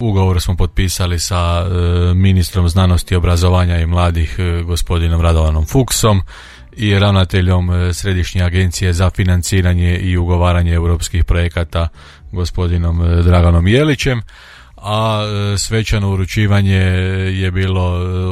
Ugovor smo potpisali sa ministrom znanosti, obrazovanja i mladih gospodinom Radovanom Fuchsom i ravnateljom Središnje agencije za financiranje i ugovaranje europskih projekata gospodinom Draganom Jelićem, a svečano uručivanje je bilo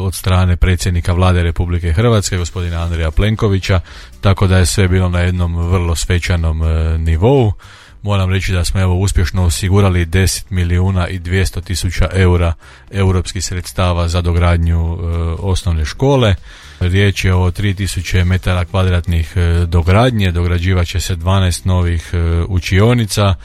od strane predsjednika Vlade Republike Hrvatske gospodina Andreja Plenkovića, tako da je sve bilo na jednom vrlo svečanom nivou. Moram reći da smo uspješno osigurali 10.200.000 eura europskih sredstava za dogradnju osnovne škole. Riječ je o 3000 metara kvadratnih dogradnje, dograđivat će se 12 novih učionica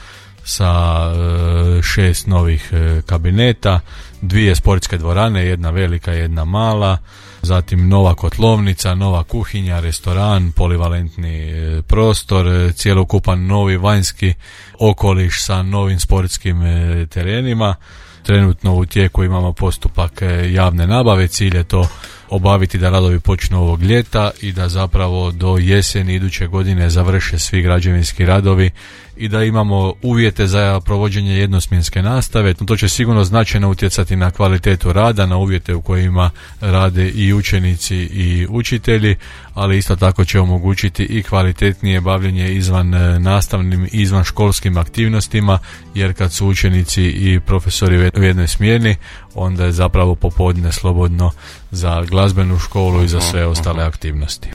sa 6 novih kabineta, 2 sportske dvorane, jedna velika, jedna mala, zatim nova kotlovnica, nova kuhinja, restoran, polivalentni prostor, cjelokupan novi vanjski okoliš sa novim sportskim terenima. Trenutno u tijeku imamo postupak javne nabave, cilj je to obaviti da radovi počnu ovog ljeta i da zapravo do jeseni iduće godine završe svi građevinski radovi i da imamo uvjete za provođenje jednosmjenske nastave. To će sigurno značajno utjecati na kvalitetu rada, na uvjete u kojima rade i učenici i učitelji, ali isto tako će omogućiti i kvalitetnije bavljenje izvan nastavnim, izvan školskim aktivnostima, jer kad su učenici i profesori u jednoj smjeni, onda je zapravo popodne slobodno za glazbenu školu i za sve ostale aktivnosti.